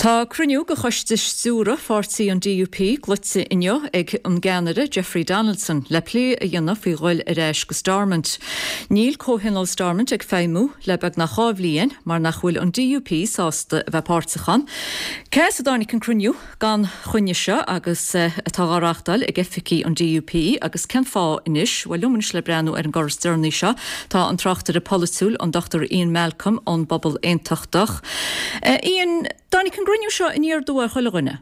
Tá cruinniú de choiste stiúrtha pháirtí an DUP glaoite inniu ag an gceannaire Jeffrey Donaldson le plé a dhéanamh faoi ghoil ar ais go Stormont. Níl Comhthionól Stormont ag feidhmiú le beagnach 2 bhliain mar nach bhfuil an DUP sásta a bheith páirteach ann. Cá as a dtáinig an cruinniú gan choinne seo agus atá á reáchtáil ag oifigí an DUP agus cén fáth anois? Bhuel, liom anois le breathnú ar an gcor is deireanaí seo tá an tráchtaire polaitiúil, an Dr Ian Malcolm ón bPobal Aontachtach. Ian, dtáinig an gcruinniú seo aniar aduaidh ar chuile dhuine?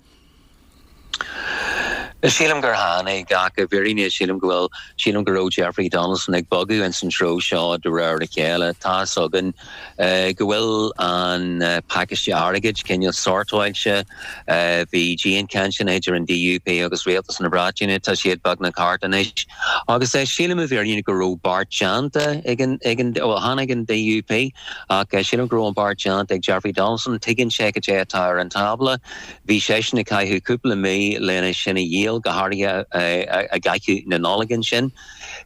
Sílim gur tháinig, ach i bhfírinne sílim go bhfuil, sílim go raibh Jeffrey Donaldson ag bogadh ins an treo seo de réir a chéile. Tá's againn go bhfuil an pacáiste airgid cineál sortáilte. Bhí dianchainteanna idir an DUP agus Rialtas na Breataine, tá siad beagnach thart anois. Agus sílim i bhfírinne go raibh beart déanta ag an, ag an, bhuel chan ag an DUP, Ach sílim go raibh an beart déanta ag Jeffrey Donaldson. Tuigeann sé cad é atá ar an tábla. Bhí seisean ag caitheamh cúpla mí lena sin a dhíol, go háirithe i gcaitheamh na Nollag ansin.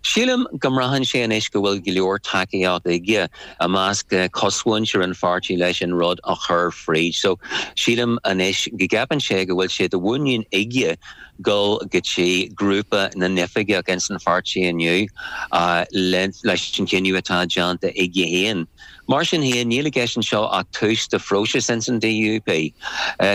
Sílim go mbraitheann sé anois go bhfuil go leor tacaíocht aige i measc cosmhuintir an pháirtí leis an rud a chur fríd. So sílim anois go gceapann sé go bhfuil sé de mhuinín aige dul go dtí grúpa na n-oifigeach ins an pháirtí inniu leis an chinneadh atá déanta aige féin. Mar sin féin, níl i gceist anseo ach tús de phróiseas ins an DUP.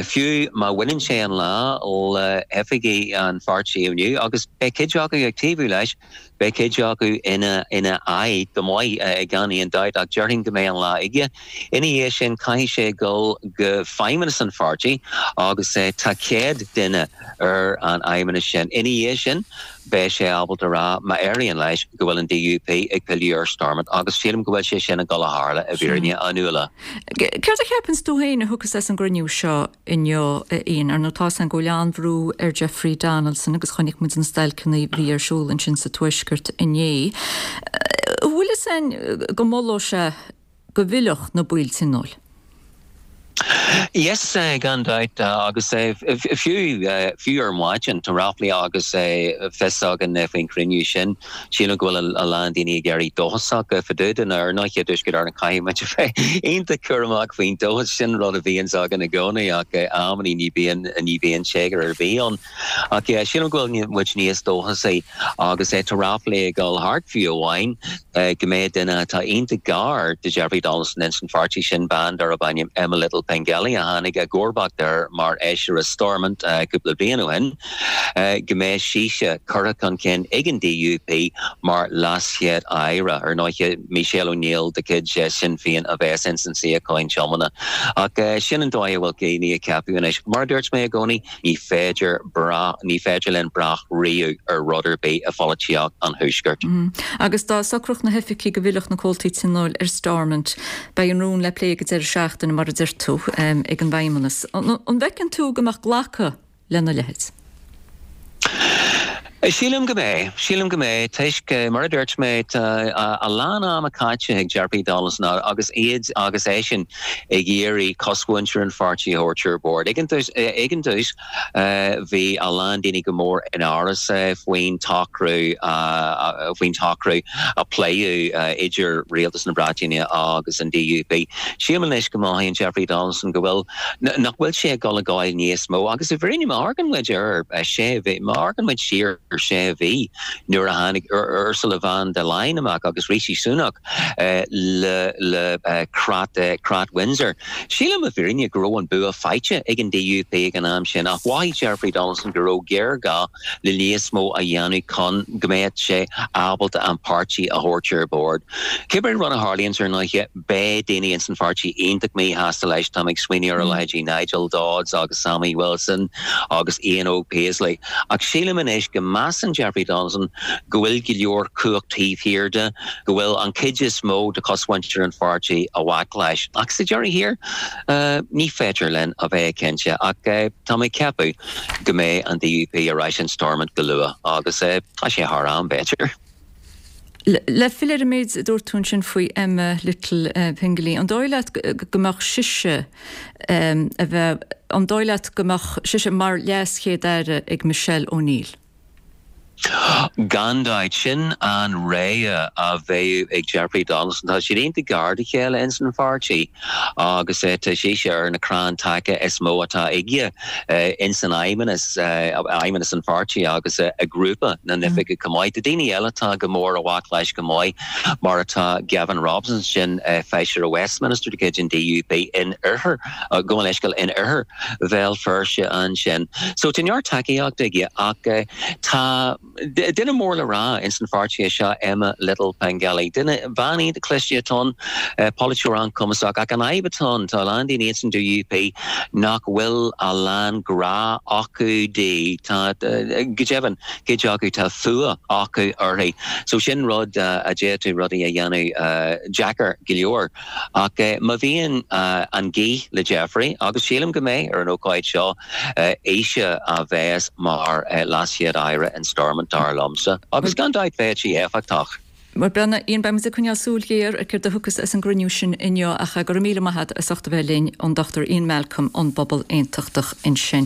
Fiú má bhaineann sé an lá le hoifigigh an pháirtí inniu, agus beidh cuid acu ag taobhú leis, Beidh cuid acu ina aghaidh go maith, gan aon dabht, ach déarfainn go mbeidh an lá aige. Ina dhiaidh sin, caithfidh sé dul go feidhmeannas an pháirtí agus tá 100 duine ar an fheidhmeannas sin. Ina dhiaidh sin, beidh sé ábalta a rá, má éiríonn leis, go bhfuil an DUP ag pilleadh ar Stormont agus sílim go bhfuil sé sin ag dul a tharla, i bhfírinne, a Nuala. Céard a cheapanns tú féin a thiocfas as an gcruinniú seo? inniu, a Ian. Ar ndóigh, tá's againn go bhfuil an-bhrú ar Jeffrey Donaldson agus chonaic muid na stailceanna a bhí ar siúl ansin sa Tuaisceart inné. An bhfuil fhios againn go molódh sé go bhfillfeadh na baill tionóil? Yes, gan dabht, agus fiú, fiú ar maidin, tá ráflaí agus fios againn faoin chruinniú sin. Sílim go bhfuil a lán daoine ag éirí dóchasach fá dtaobh de. Ar ndóigh, i dTuaisceart Éireann caithfidh muid a bheith iontach cúramach faoin dóchas. Sin rud a bhíonns againn i gcónaí ach amannaí ní bhíonn, ní bhíonn téagar ar bith ann. Ach yeah, sílim go bhfuil muid níos dóchasaí agus tá ráflaí ag dul thart fiú amháin go mbeidh duine atá iontach gar do Jeffrey Donaldson ins an pháirtí sin, bean darb ainm Emma Little Pengelly a tháinig i gcomharbacht air mar fheisire Stormont cúpla bliain ó shin. go mbeidh sise curtha chun cinn ag an DUP mar LeasChéad-Aire. Ar ndóigh, Michelle O'Neill de chuid Sinn Féin a bheas ins an suíochán tiomána. Ach sin an dóigh a bhfuil daoine ag ceapadh anois. Mar a dúirt mé i gcónaí, ní féidir brath, ní féidir linn brath riamh ar rud ar bith i pholaitíocht an Thuaiscirt. Agus dá socródh na hoifigigh go bhfillfeadh na comhaltaí tionóil ar Stormont, beidh an rún le plé ag an deireadh seachtaine, mar a deir tú, ag an bhFeidhmeannas. An bhfeiceann tú go mbeadh glacadh lena leithéid? Sílim go mbeidh. Sílim go mbeidh, toisc, mar a dúirt mé, tá a lán ama caite ag Jeffrey Donaldson agus iad agus eisean ag iarraidh cosmhuintir an pháirtí a thabhairt ar bord. Ag an dtús, bhí a lán daoine go mór in amhras faoin tsocrú, faoin tsocrú a pléadh idir Rialtas na Breataine agus an DUP. Sílim anois go mothaíonn Jeffrey Donaldson go bhfuil nach bhfuil sé ag dul ag gabháil níos mó agus i bhfírinne má amharcann muid ar sé mhí, má amharcann muid siar sé mhí nuair a tháinig Ursula von der Leyen amach agus Rishi Sunak le le creat creat Windsor, sílim i bhfírinne go raibh an bua faighte ag an DUP ag an am sin ach mhothaigh Jeffrey Donaldson go raibh géarghá le níos mó a dhéanamh chun go mbeadh sé ábalta an páirtí a thabhairt ar bord. Cibé rud a tharlaíonns ar ndóigh, beidh daoine ins an pháirtí iontach míshásta leis, táim ag smaoineamh ar a leithéidí Nigel Dodds agus Sammy Wilson agus Ian Óg Paisley. Ach sílim anois go measann Jeffrey Donaldson go bhfuil go leor cumhacht taobh thiar de, go bhfuil an chuid is mó de chosmhuintir an pháirtí i bhfách leis. Ach sa deireadh thiar, ní féidir linn a bheith cinnte. Ach tá mé ag ceapadh go mbeidh an DUP ar ais in Stormont go luath agus tá sé thar am, b'fhéidir. Le filleadh ar an méid a dúirt tú ansin faoi Emma Little Pengelly, an dóigh leat go mbeadh sise a bheith, an dóigh leat go mbeadh sise mar LeasChéad-Aire ag Michelle O'Neill? Gan dabht, sin an rogha a bheadh ag Jeffrey Donaldson. Tá siad iontach gar dá chéile ins an pháirtí agus tá sise ar na crann taca is mó atá aige ins an fheidhmeannas, fheidhmeannas an pháirtí agus i grúpa na n-oifigeach chomh maith. Tá daoine eile atá go mór i bhfách leis chomh maith, mar atá Gavin Robinson, sin feisire Westminster de chuid an DUP in oirthear, gabh mo leithscéal, in oirthear Bhéal Feirste ansin. So tá neart tacaíocht aige ach tá duine mór le rá ins an pháirtí é seo, Emma Little-Pengelly. Duine, bean iontach cliste atá ann, polaiteoir an-chumasach ach an fhadhb atá ann, tá a lán daoine ins an DUP nach bhfuil a lán grá acu di. Tá, go deimhin, cuid acu tá fuath acu uirthi. So sin rud a d'fhéadfadh rudaí a dhéanamh deacair go leor. Ach má bhíonn an gaoth le Jeffrey, agus sílim go mbeidh ar an ócáid seo, ise a bheas mar LeasChéad-Aire in Stormont, dar liomsa. Agus gan dabht bheadh sí éifeachtach. Bhuel, Ian, beidh muid ag coinneáil súil ghéar ar céard a thiocfas as an gcruinniú sin inniu ach go raibh míle maith agat as ucht a bheith linn, an Dr Ian Malcolm ón bPobal Aontachtach ansin.